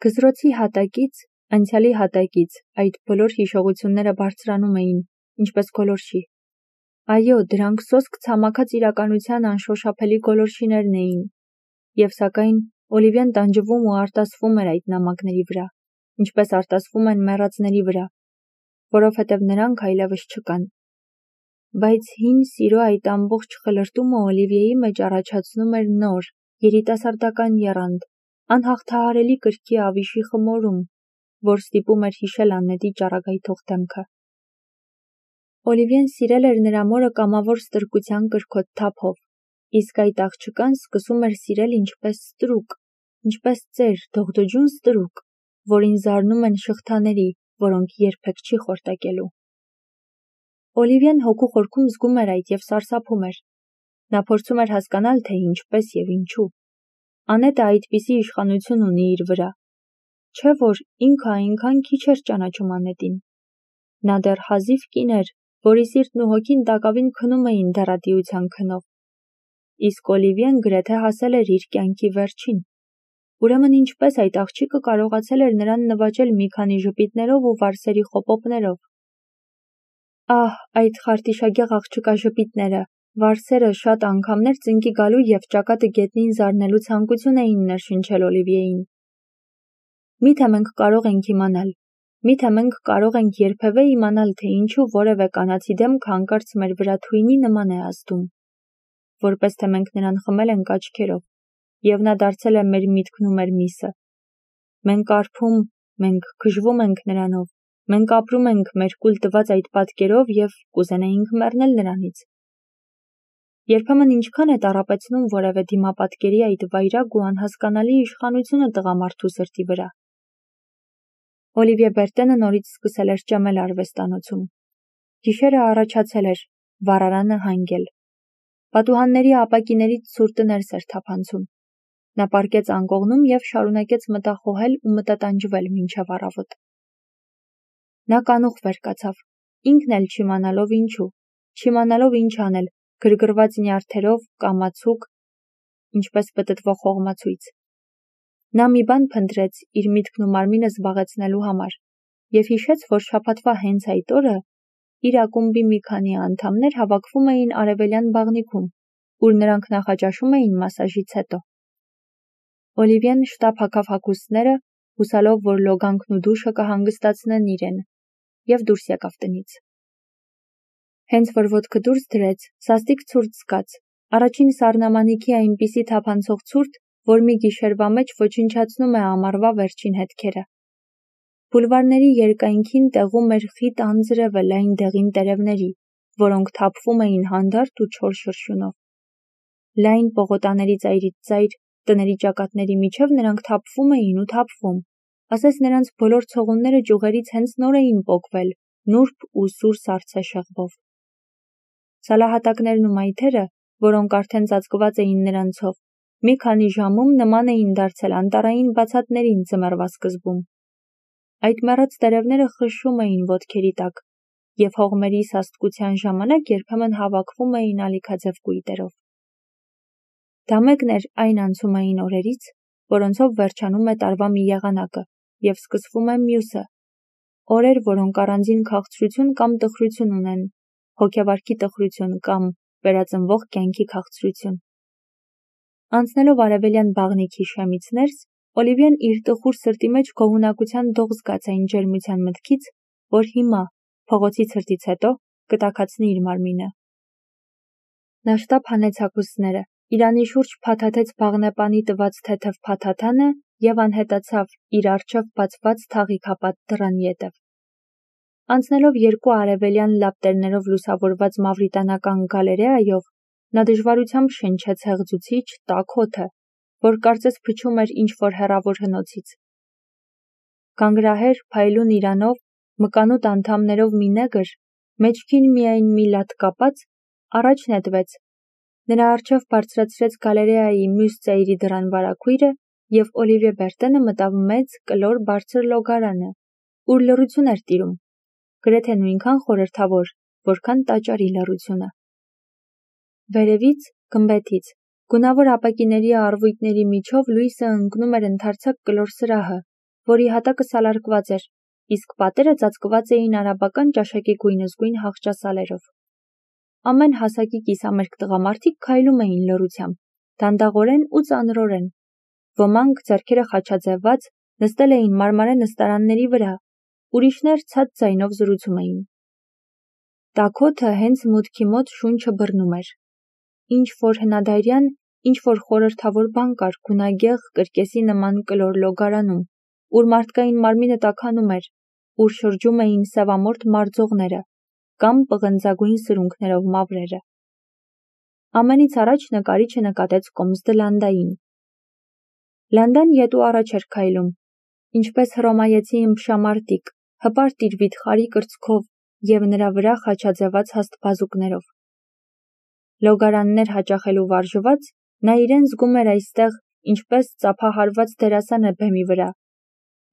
Գզրոցի հատակից, անցյալի հատակից այդ բոլոր հիշողությունները բարձրանում էին, ինչպես գոլորշի։ Այո, դրանք սոսկ ցամաքած իրականության անշոշափելի գոլորշիներն էին, և սակայն Օլիվիան տանջվում ու արտասվում էր այդ նամակների վրա, ինչպես արտասվում են մեռածների վրա, որովհետև նրանք այլևս չկան։ Բայց հին սիրո այդ ամբողջ խլրտումը Օլիվիեի մեջ առաջացնում էր նոր, երիտասարդական եռանդ, անհաղթահարելի կրքի ավիշի խմորում, որ ստիպում էր հիշել Աննետի ճառագայթող դեմքը։ Օլիվիեն սիրել էր նրա մորը կամավոր ստրկության կրքոտ թափով, իսկ այդ աղջկան սկսում էր սիրել ինչպես ստրուկ, ինչպես ծեր, դողդոջուն ստրուկ, որին զարնում են շղթաների, որոնք երբեք չի խորտակելու։ Օլիվիեն հոգու խորքում զգում էր այդ և սարսափում էր։ Նա փորձում էր հասկանալ, թե ինչպես և ինչու։ Անետը այդպիսի իշխանություն ունի իր վրա։ Չէ՞ որ ինքը այնքան քիչ էր ճանաչում Անետին։ Նա դեռ հազիվ կին էր, որի սիրտն ու հոգին տակավին քնում էին դեռատիության քնով։ Իսկ Օլիվիեն գրեթե հասել էր իր կյանքի վերջին։ Ուրեմն ինչպես այդ աղջիկը կարողացել էր նրան նվաճել մի քանի ժպիտներով ու վարսերի խոպոպներով։ Ահ, այդ խարտիշագեղ աղջկա ժպիտները, վարսերը շատ անգամներ ծնկի գալու և ճակատը գետնին զարնելու ցանկություն էին ներշնչել Օլիվիեին։ Միթե մենք կարող ենք իմանալ, միթե մենք կարող ենք երբևէ իմանալ, թե ինչու որևէ կանացի դեմքը հանկարծ մեր վրա թույնի նման է ազդում, որպես թե մենք նրան խմել ենք աչքերով, և նա դարձել է մեր միտքն ու մեր միսը։ Մենք արբում, մենք գժվում ենք նրանով, մենք ապրում ենք մեր կուլ տված այդ պատկերով և կուզենայինք մեռնել նրանից։ Երբեմն ինչքան է տառապեցնում որևէ դիմապատկերի այդ վայրագ ու անհասկանալի իշխանությունը տղամարդու սրտի վրա։ Օլիվիե Բերտենը նորից սկսել էր ճամել արվեստանոցում։ Գիշերը առաջացել էր, վառարանը հանգել։ Պատուհանների ապակիներից ցուրտը ներս էր թափանցում։ Նա պառկեց անկողնում և շարունակեց մտախոհել ու մտատանջվել մինչև առավոտ։ Նա կանուխ վեր կացավ, ինքն էլ չիմանալով ինչու, չիմանալով ինչ անել, գրգռված նյարդերով, կամացուկ, ինչպես պտտվող հողմացույց։ Նա մի բան փնտրեց իր միտքն ու մարմինը զբաղեցնելու համար և հիշեց, որ շաբաթվա հենց այդ օրը իր ակումբի մի քանի անդամներ հավաքվում էին արևելյան բաղնիքում, ուր նրանք նախաճաշում էին մասաժից հետո։ Օլիվիեն շտապ հագավ հագուստները, հուսալով, որ լոգանքն ու դուշը կհանգստացնեն իրեն, և դուրս եկավ տնից։ Հենց որ ոտքը դուրս դրեց, սաստիկ ցուրտ զգաց, առաջին սառնամանիքի այնպիսի թափանցող ցուրտ, որ մի գիշերվա մեջ ոչնչացնում է ամառվա վերջին հետքերը։ Բուլվարների երկայնքին տեղում էր խիտ անձրևը լայն դեղին տերևների, որոնք թափվում էին հանդարտ ու չոր շրշյունով։ Լայն պողոտաների ծայրից ծայր, տների ճակատների միջև նրանք թափվում էին ու թափվում, ասես նրանց բոլոր ցողունները ճյուղերից հենց նոր էին պոկվել, նուրբ ու սուր սառցե շեղբով։ Սալահատակներն ու մայթերը, որոնք արդեն ծածկված էին նրանցով, մի քանի ժամում նման էին դարձել անտառային բացատներին ձմեռվա սկզբում։ Այդ մեռած տերևները խշշում էին ոտքերի տակ, և հողմերի սաստկության ժամանակ երբեմն հավաքվում էին ալիքաձև կույտերով։ Դա մեկն էր այն անցումային օրերից, որոնցով վերջանում է տարվա մի եղանակը և սկսվում է մյուսը, օրեր, որոնք առանձին քաղցրություն կամ տխրություն ունեն, հոգեվարքի տխրություն կամ վերածնվող կյանքի քաղցրություն։ Անցնելով արևելյան բաղնիքի շեմից ներս, Օլիվիեն իր տխուր սրտի մեջ գոհունակության դող զգաց այն ջերմության մտքից, որ հիմա, փողոցի ցրտից հետո, կտաքացնի իր մարմինը։ Նա շտապ հանեց հագուստները, իրանի շուրջ փաթաթեց բաղնեպանի տված թեթև փաթաթանը և անհետացավ իր առջև բացված թաղի կապած դռան ետև։ Անցնելով երկու արևելյան լապտերներով լուսավորված մավրիտանական գալերեայով, նա դժվարությամբ շնչեց հեղձուցիչ, տաք օդը, որ կարծես փչում էր ինչ-որ հեռավոր հնոցից։ Գանգրահեր, փայլուն իրանով, մկանուտ անդամներով մի նեգր, մեջքին միայն մի լատ կապած, առաջ նետվեց։ Նրա առջև բարձրացրեց գալերեայի մյուս ծայրի դռան վարագույրը, և Օլիվիե Բերտենը մտավ մեծ, կլոր բարձր լոգարանը, ուր լռություն էր տիրում, գրեթե նույնքան խորհրդավոր, որքան տաճարի լռությունը։ Վերևից, գմբեթից, գունավոր ապակիների առվույտների միջով լույսը ընկնում էր ընդարձակ կլոր սրահը, որի հատակը սալարկված էր, իսկ պատերը ծածկված էին արաբական ճաշակի գույնզգույն հաղճասալերով։ Ամեն հասակի կիսամերկ տղամարդիկ քայլում էին լռությամբ, դանդաղորեն ու ծանրորեն։ Ոմանք ձեռքերը խաչաձևված նստել էին մարմարե նստարանների վրա, ուրիշներ ցած ձայնով զրուցում էին։ Տաքոթը հենց մուտքի մոտ շունչը բռնում էր։ Ինչ-որ հնադարյան, ինչ-որ խորհրդավոր բան կար գունագեղ կրկեսի նման կլոր լոգարանում, ուր մարդկային մարմինը տաքանում էր, ուր շրջում էին սևամորթ մարձողները կամ պղնձագույն սրունքներով մավրերը։ Ամենից առաջ նկարիչը նկատեց կոմսդը Լանդային։ Լանդան ետու առաջ էր քայլում, ինչպես հռոմայեցի ըմբշամարտիկ, հպարտ իր վիթխարի կրծքով և նրա վրա խաչաձևած հաստբազուկներով։ Լոգարաններ հաճախելու վարժված, նա իրեն զգում էր այստեղ, ինչպես ծափահարված դերասանը բեմի վրա,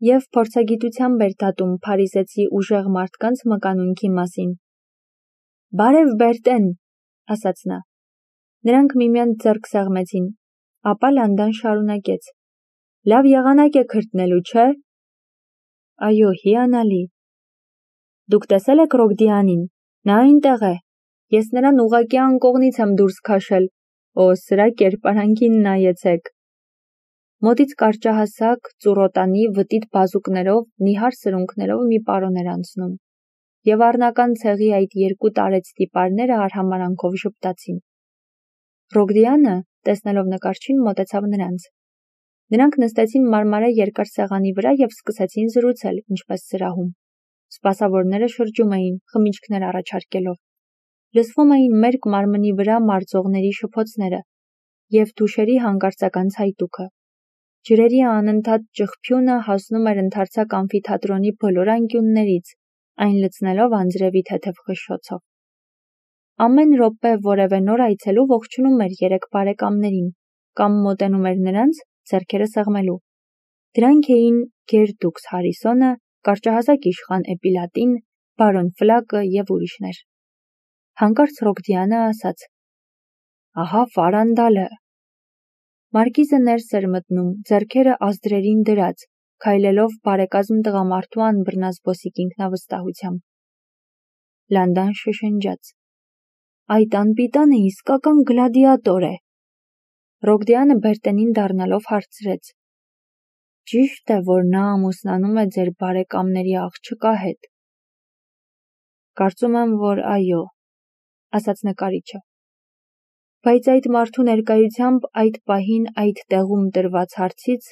և փորձագիտությամբ էր դատում փարիզեցի ուժեղ մարդկանց մկանունքի մասին։ «Բարև, Բերտեն», ասաց նա։ Նրանք միմյանց ձեռք սեղմեցին, ապա Լանդան շարունակեց. «Լավ եղանակ է քրտնելու, չէ՞»։ «Այո, հիանալի»։ «Դուք տեսել եք Ռոգդիանին, նա այնտեղ է։ Ես նրան ուղղակի անկողնից եմ դուրս քաշել, օ, սրա կերպարանքին նայեցեք»։ Մոտից կարճահասակ, ծուռոտանի, վտիտ բազուկներով, նիհար սրունքներով մի պարոն էր անցնում, և առնական ցեղի այդ երկու տարեց տիպարները արհամարհանքով ժպտացին։ Ռոգդիանը, տեսնելով նկարչին, մոտեցավ նրանց։ Նրանք նստեցին մարմարե երկար սեղանի վրա և սկսեցին զրուցել, ինչպես սրահում։ Սպասավորները շրջում էին, խմիչքներ առաջարկելով։ Լսվում էին մերկ մարմնի վրա մարձողների շփոթները և թուշերի հանկարծական ցայտուքը։ Ջրերի անընդհատ ճղփյունը հասնում էր ընդարձակ ամֆիթատրոնի բոլոր անկյուններից, այն լցնելով անձրևի թեթև խշշոցով։ Ամեն րոպե որևէ նոր այցելու ողջունում էր երեք բարեկամներին կամ մոտենում էր նրանց, ձեռքերը սեղմելու։ Դրանք էին Գերդուկս Հարիսոնը, կարճահասակ իշխան Էպիլատին, բարոն Ֆլակը և ուրիշներ։ Հանկարծ Ռոգդիանը ասաց. «Ահա Ֆարանդալը»։ Մարկիզը ներս էր մտնում, ձեռքերը ազդրերին դրած, քայլելով բարեկազմ տղամարդու անբռնազբոսիկ ինքնավստահությամբ։ Լանդան շշնջաց. «Այդ անպիտանը իսկական գլադիատոր է»։ Ռոգդիանը Բերտենին դառնալով հարցրեց. «Ճի՞շտ է, որ նա ամուսնանում է ձեր բարեկամների աղջկա հետ»։ «Կարծում եմ, որ այո», ասաց նկարիչը։ Բայց այդ մարդու ներկայությամբ այդ պահին այդ տեղում տրված հարցից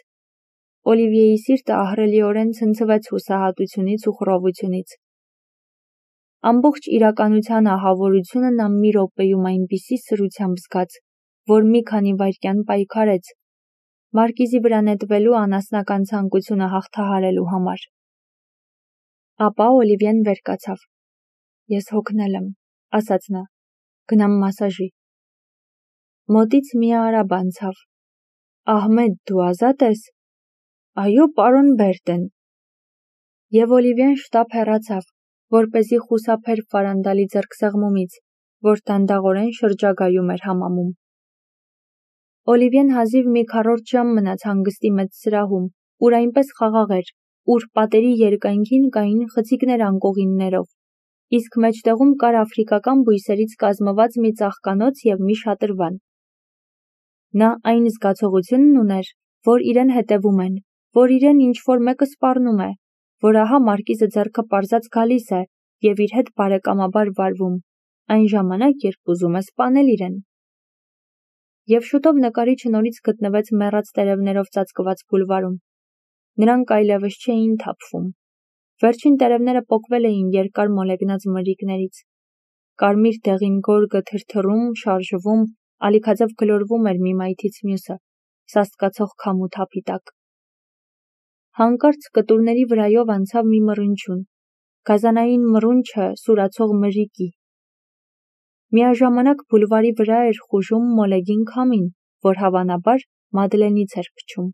Օլիվիեի սիրտը ահռելիորեն ցնցվեց հուսահատությունից ու խռովությունից։ Ամբողջ իրականության ահավորությունը նա մի րոպեում այնպիսի սրությամբ զգաց, որ մի քանի վայրկյան պայքարեց, Մարկիզի վրա նետվելու անասնական ցանկությունը հաղթահարելու համար։ Ապա Օլիվիեն վեր կացավ։ «Ես հոգնել եմ», ասաց նա, «գնամ մասաժի»։ Մոտից մի արաբ անցավ։ «Ահմեդ, դու ազատ ես»։ «Այո, պարոն Բերտեն»։ Եվ Օլիվիեն շտապ հեռացավ, որպեսզի խուսափեր Ֆարանդալի ձեռքսեղմումից, որ դանդաղորեն շրջագայում էր համամում։ Օլիվիեն հազիվ մի քառորդ ժամ մնաց հանգստի մեծ սրահում, ուր այնպես խաղաղ էր, ուր պատերի երկայնքին կային խցիկներ անկողիններով, իսկ մեջտեղում կար աֆրիկական բույսերից կազմված մի ծաղկանոց և մի շատրվան։ Նա այն զգացողությունն ուներ, որ իրեն հետևում են, որ իրեն ինչ-որ մեկը սպառնում է, որ ահա Մարկիզը ձեռքը պարզած գալիս է և իր հետ բարեկամաբար վարվում, այն ժամանակ, երբ ուզում է սպանել իրեն։ Եվ շուտով նկարիչը նորից գտնվեց մեռած տերևներով ծածկված բուլվարում։ Նրանք այլևս չէին թափվում։ Վերջին տերևները պոկվել էին երկար մոլեգնած մրրիկներից։ Կարմիր դեղին գորգը թրթռում, շարժվում, ալիքաձև գլորվում էր մի մայթից մյուսը, սաստկացող քամու թափի տակ։ Հանկարծ կտուրների վրայով անցավ մի մռնչյուն, գազանային մռունչը սուրացող մրրիկի։ Միաժամանակ բուլվարի վրա էր խուժում մոլեգին քամին, որ հավանաբար Մադլենից էր փչում։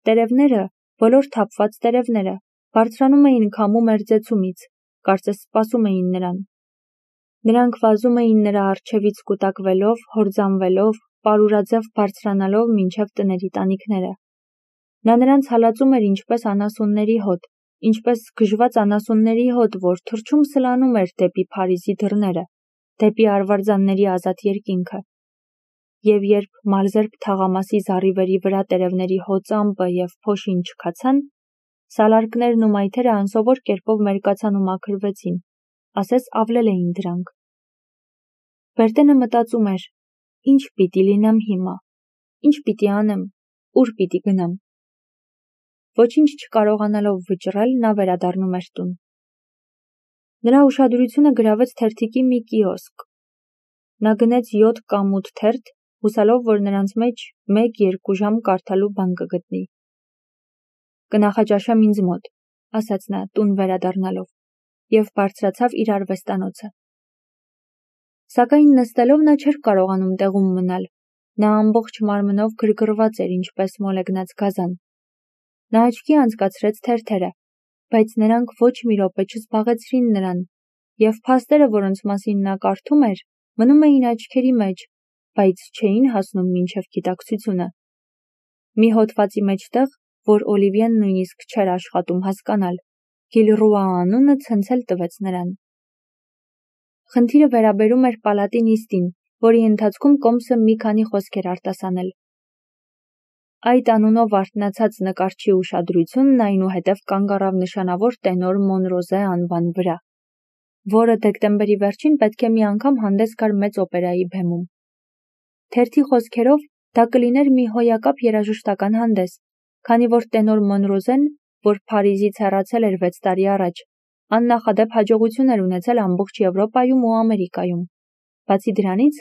Տերևները, բոլոր թափված տերևները, բարձրանում էին քամու մերձեցումից, կարծես սպասում էին նրան։ Նրանք վազում էին նրա առջևից կուտակվելով, հորձանվելով, պարուրաձև բարձրանալով մինչև տների տանիքները։ Նա նրանց հալածում էր ինչպես անասունների հոտ, ինչպես գժված անասունների հոտ, որ թռչում սլանում էր դեպի Փարիզի դռները, դեպի արվարձանների ազատ երկինքը։ Եվ երբ մարզերբ թաղամասի զառիվերի վրա տերևների հոծամբը և փոշին չքացան, սալարկներն ու մայթերը անսովոր կերպով մերկացան ու մաքրվեցին, ասես ավլել էին դրանք։ Բերտենը մտածում էր. ինչ պիտի լինեմ հիմա, ինչ պիտի անեմ, ուր պիտի գնամ։ Ոչինչ չկարողանալով վճռել, նա վերադառնում էր տուն։ Նրա ուշադրությունը գրավեց թերթիկի մի կիոսկ։ Նա գնեց 7 կամ 8 թերթ, հուսալով, որ նրանց մեջ 1-2 ժամ կարդալու բան կգտնի։ «Կնախաճաշեմ ինձ մոտ», ասաց նա տուն վերադառնալով, և բարձրացավ իր արվեստանոցը։ Սակայն նստելով նա չէր կարողանում տեղում մնալ, նա ամբողջ մարմնով գրգռված էր ինչպես մոլեգնած գազան։ Նա աչքի անցկացրեց թերթերը, բայց նրանք ոչ մի րոպե չզբաղեցրին նրան, և փաստերը, որոնց մասին նա կարդում էր, մնում էին աչքերի մեջ, բայց չէին հասնում մինչև գիտակցությունը։ Մի հոդվածի մեջտեղ, որ Օլիվիեն նույնիսկ չէր աշխատում հասկանալ, Գիլռուա անունը ցնցել տվեց նրան։ Խնդիրը վերաբերում էր պալատի նիստին, որի ընթացքում Կոմսը մի քանի խոսք էր արտասանել։ Այդ անունով արթնացած նկարչի ուշադրությունն այնուհետև կանգ առավ նշանավոր տենոր Մոնրոզե անվան վրա, որը դեկտեմբերի վերջին պետք է մի անգամ հանդես գար մեծ օպերայի բեմում։ Թերթի խոսքերով, դա կլիներ մի հոյակապ երաժշտական հանդես, քանի որ տենոր Մոնրոզեն, որ Փարիզից հեռացել էր 6 տարի առաջ, աննախադեպ հաջողություն էր ունեցել ամբողջ Եվրոպայում ու Ամերիկայում։ Բացի դրանից,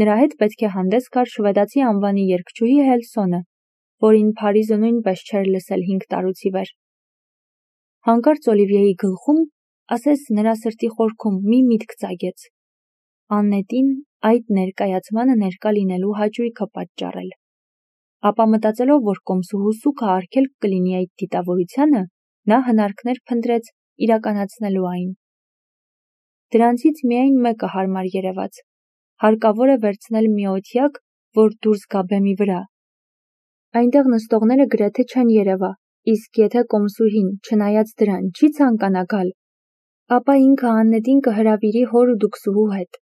նրա հետ պետք է հանդես գար շվեդացի անվանի երգչուհի Հելսոնը, որին Փարիզը նույնպես չէր լսել 5 տարուց ի վեր։ Հանկարծ Օլիվիեի գլխում, ասես նրա սրտի խորքում, մի միտք ծագեց. Աննետին այդ ներկայացմանը ներկա լինելու հաճույքը պատճառել։ Ապա մտածելով, որ Կոմսուհու սուգը արգելք կլինի այդ դիտավորությանը, նա հնարքներ փնտրեց իրականացնելու այն։ Դրանցից միայն մեկը հարմար երևաց. հարկավոր է վերցնել մի օթյակ, որ դուրս գա բեմի վրա։ Այնտեղ նստողները գրեթե չեն երևա, իսկ եթե Կոմսուհին, չնայած դրան, չի ցանկանա գալ, ապա ինքը Աննետին կհրավիրի հոր ու դքսուհու հետ։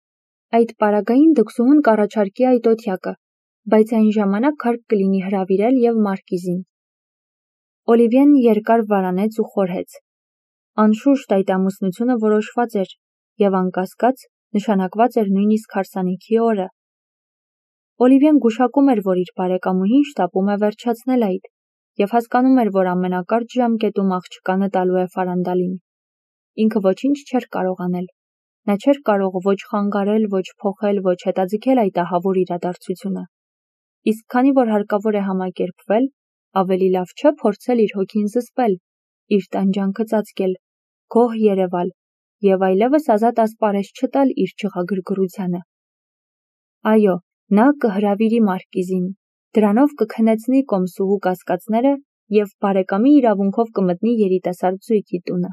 Այդ պարագային դքսուհուն կառաջարկի այդ օթյակը, բայց այն ժամանակ հարկ կլինի հրավիրել և Մարկիզին։ Օլիվիեն երկար վարանեց ու խորհեց։ Անշուշտ այդ ամուսնությունը որոշված էր, և անկասկած նշանակված էր նույնիսկ հարսանիքի օրը։ Օլիվիեն գուշակում էր, որ իր բարեկամուհին շտապում է վերջացնել այդ, և հասկանում էր, որ ամենակարճ ժամկետում աղջկանը տալու է ֆարանդալին։ Ինքը ոչինչ չէր կարող անել։ Նա չէր կարող ոչ խանգարել, ոչ փոխել, ոչ հետաձգել այդ ահավոր իրադարձությունը։ Իսկ քանի որ հարկավոր է համակերպվել, ավելի լավ չէ փորձել իր հոգին զսպել, իր տանջանքը ծածկել, գոհ երևալ և այլևս ազատ ասպարեզ չտալ իր չղագրգռությանը։ Այո, նա կհրավիրի Մարկիզին, դրանով կքնեցնի Կոմսուհու կասկածները և բարեկամի իրավունքով կմտնի երիտասարդ զույգի տունը։